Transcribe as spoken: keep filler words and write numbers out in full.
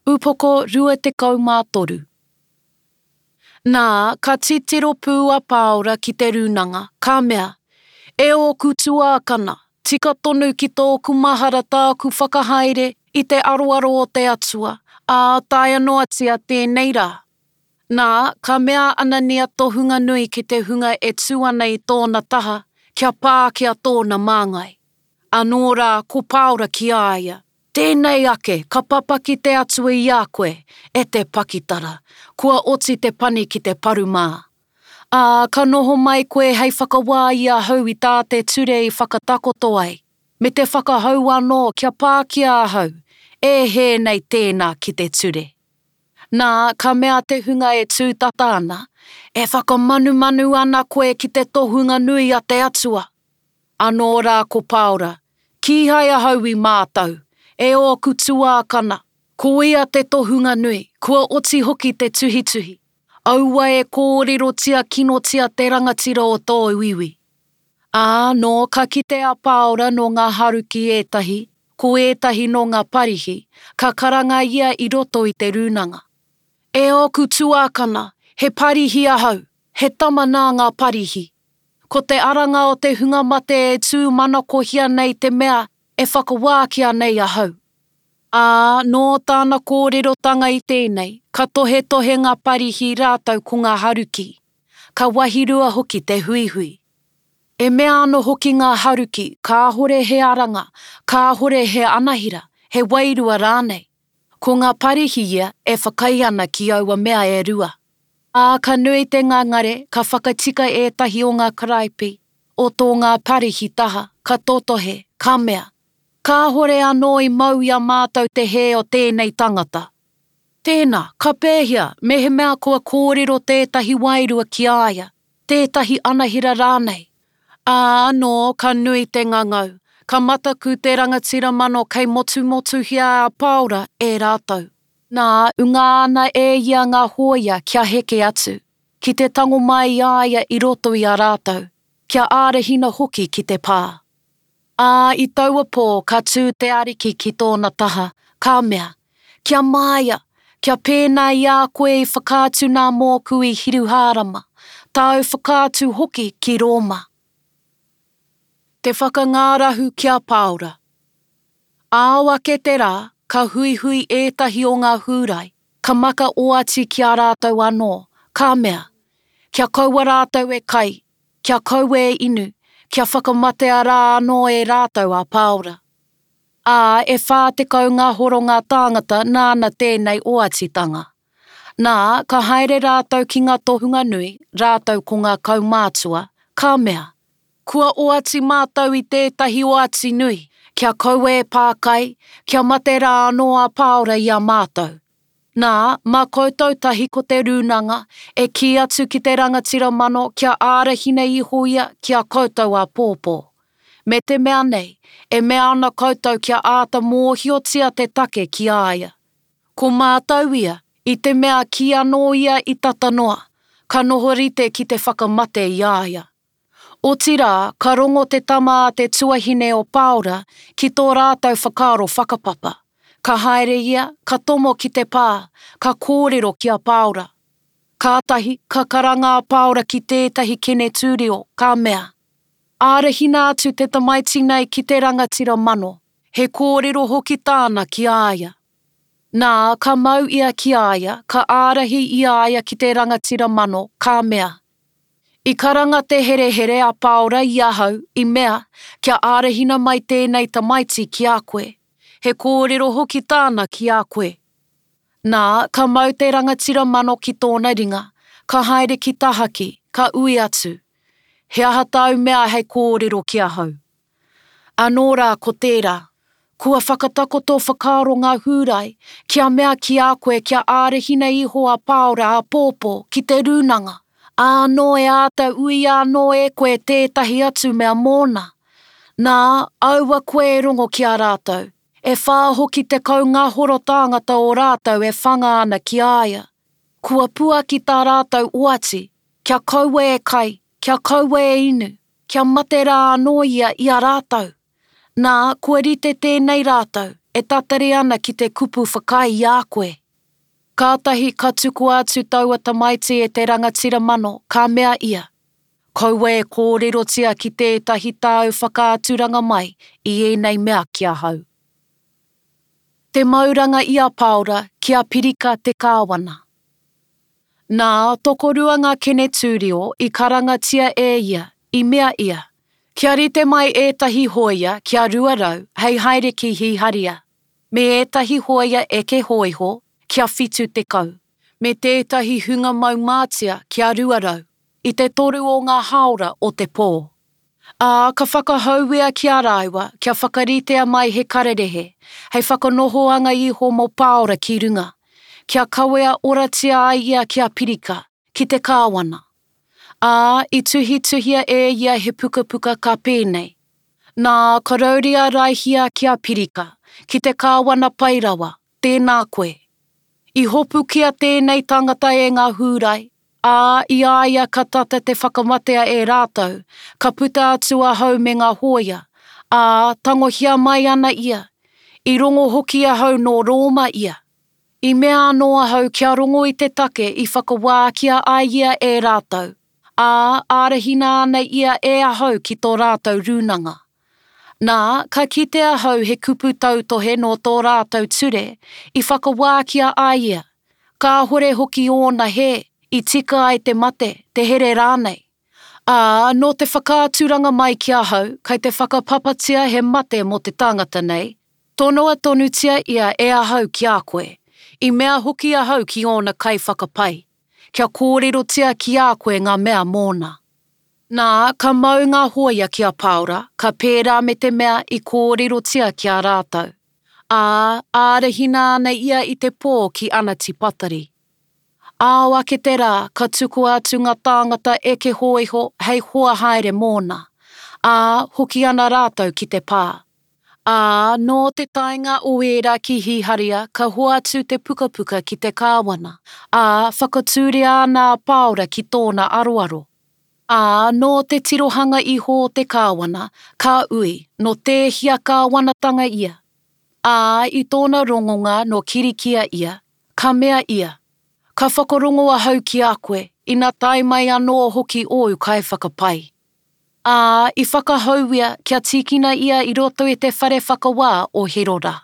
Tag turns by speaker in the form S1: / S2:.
S1: Upoko rua tekau mā toru. Nā, ka titiro pū a Pāora ki te rūnanga, ka mea, E ōku tuākana, tika tonu ki tōku mahara tāku whakahaere i te aroaro o te Atua, ā, taea noatia tēnei rā. Nā, ka mea a Anania tohunga nui ki te hunga e tū ana i tōna taha, kia pākia tōna māngai. Anō rā ko Pāora ki a ia, Tēnei ake, ka papaki te Atua i a koe, e te pakitara, kua oti te pani ki te paru mā. Ā, ka noho mai koe hei whakawā i ahau i tā te ture i whakatakoto ai, me te whakahau anō kia pākia ahau, e hē nei tēnā ki te ture. Nā, ka mea te hunga e tū tata ana, E whakamanumanu ana koe ki te tohunga nui a te Atua. Anō rā ko Pāora, Kīhai ahau i mātau, e ōku tuākana, ko ia te tohunga nui, kua oti hoki te tuhituhi. Aua e kōrerotia kinotia te rangatira o tōu iwi. Ā, nō ka kite a Pāora nō ngā Haruki ētahi, ko ētahi nō ngā Parihi, ka karanga ia i roto i te rūnanga. E ōku tuākana, he Parihi ahau, he tama nā ngā Parihi. Ko te aranga o te hunga mate e tūmanakohia nei te mea e whakawākia nei ahau. Ā, nō tāna kōrerotanga i tēnei, ka tohetohe ngā Parihi rātou ko ngā Haruki, ka wahirua hoki te huihui. E mea ana hoki ngā Haruki kāhore he aranga, kāhore he anahira, he wairua rānei. Ko ngā Parihi ia e whakaae ana ki aua mea e rua. Ā, ka nui te ngangare, ka whakatika ētahi o ngā karaipi, o tō ngā Parihi taha, ka totohe, ka mea, Kāhore anō i mau i a mātou te hē o tēnei tangata. Tēnā, ka pēhea mehemea kua kōrero tētahi wairua ki a ia, tētahi anahera rānei? Ā, anō ka nui te ngangau, ka mataku te rangatira mano kei motumotuhia a Pāora e rātou. Nā, ungā ana e ia ngā hōia kia heke atu, ki te tango mai i a ia i roto i a rātou, kia ārahina hoki ki te pā. Ā, i taua pō ka tū te Ariki ki tōna taha, ka mea, Kia māia, kia pēnā i a koe i whakaatu nā mōku i Hiruhārama, tāu whakaatu hoki ki Rōma. Te whakangārahu ki a Pāora. Ao ake te rā, ka huihui ētahi o ngā Hūrai, ka maka oati ki a rātou anō, ka mea, Kia kaua rātou e kai, kia kaua e inu, kia whakamatea rā anō e rātou a Pāora. Ā, e whā tekau ngā horo ngā tāngata nāna tēnei oatitanga. Nā, ka haere rātou ki ngā tohunga nui, rātou ko ngā kaumātua, ka mea, Kua oati mātou i tētahi oati nui, kia kaua e pā kai, kia mate rā anō a Pāora i a mātou. Nā, mā koutou tahi ko te rūnanga e kī atu ki te rangatira mano kia ārahina iho ia ki a koutou āpōpō. Me te mea nei, e mea ana koutou kia āta mōhiotia te take ki a ia. Ko mātou ia, i te mea kī anō ia i tata noa, ka noho rite ki te whakamate i a ia. Otirā, ka rongo te tama a te tuahine o Pāora ki tō rātou whakaaro whakapapa. Ka haere ia, ka tomo ki te pā, ka kōrero ki a Pāora. Kātahi, ka karanga a Pāora ki tētahi kenetūrio, ka mea, Ārahina atu te tamaiti nei ki te rangatira mano, he kōrero hoki tāna ki a ia. Nā, ka mau ia ki a ia, ka ārahi i a ia ki te rangatira mano, ka mea, I karanga te herehere a Pāora i ahau, i mea, kia ārahina mai tēnei tamaiti ki a koe. He kōrero hoki tāna ki a koe. Nā, ka mau te rangatira mano ki tōna ringa, ka haere ki tahaki, ka ui atu, He aha tāu mea hei kōrero ki ahau? Anō rā ko tērā, Kua whakatakoto whakaaro ngā Hūrai kia mea ki a koe kia ārahina iho a Pāora āpōpō ki te rūnanga, ā, nō e āta uia anō e koe tētahi atu mea mōna. Nā, aua koe e rongo ki a rātou, e whā hoki tekau ngā horo tāngata o rātou e whanga ana ki a ia. Kua puaki tā rātou oati, kia kaua e kai, kia kaua e inu, kia mate rā anō ia i a rātou. Nā, kua rite tēnei rātou, e tatari ana ki te kupu whakaae i a koe. Kātahi ka tukua atu taua tamaiti e te rangatira mano, ka mea ia, Kaua e kōrerotia ki tētahi tāu whakaaturanga mai i ēnei mea ki ahau. Te mauranga i a Pāora ki a Pirika te kāwana. Nā, tokorua ngā kenetūrio i karangatia e ia, i mea ia, Kia rite mai ētahi hōia kia rua rau hei haere ki Hiharia, me ētahi hōia eke hōiho kia whitu tekau, me tētahi hunga mau mātia kia rua rau, i te toru o ngā hāora o te pō. Ā, ka whakahauea ki a rāua kia whakaritea mai he kararehe, hei whakanohoanga iho mō Pāora ki runga, kia kawea oratia ai ia ki a Pirika, ki te kāwana. Ā, i tuhituhia e ia he pukapuka ka pēnei, Nā, Karauria Raihia ki a Pirika, ki te kāwana pai rawa, tēnā koe. I hopukia tēnei tangata e ngā Hūrai, ā, i a ia ka tata te whakamatea e rātou, ka puta atu ahau me ngā hōia, ā, tangohia mai ana ia. I rongo hoki ahau nō Rōma ia. I mea anō ahau kia rongo i te take i whakawākia ai ia e rātou, ā, ārahina ana ia e ahau ki tō rātou rūnanga. Nā, ka kite ahau he kupu tautohe nō tō rātou ture i whakawākia ai ia, kāhore hoki ōna hē i tika ai te mate, te here rānei. Ā, nō te whakaaturanga mai ki ahau kei te whakapapatia he mate mō te tangata nei, tonoa tonutia ia e ahau ki a koe, i mea hoki ahau ki ōna kaiwhakapai, kia kōrerotia ki a koe ngā mea mōna. Nā, ka mau ngā hōia ki a Pāora, ka pērā me te mea i kōrerotia ki a rātou. Ā, ārahina ana ia i te pō ki Anatipatari. Ao ake te rā, ka tukua atu ngā tāngata eke hōiho hei hoa haere mōna, ā, hoki ana rātou ki te pā. Ā, nō te taenga o ērā ki Hiharia ka hoatu te pukapuka ki te kāwana, ā, whakatūria ana a Pāora ki tōna aroaro. Ā, nō te tirohanga iho o te kāwana, ka ui, nō tēhea kāwanatanga ia? Ā, i tōna rongonga nō Kirikia ia, ka mea ia, Ka whakarongo ahau ki a koe, ina tae mai anō hoki ōu kaiwhakapai. Ā, i whakahauia kia tīkina ia i roto i te whare whakawā o Herora.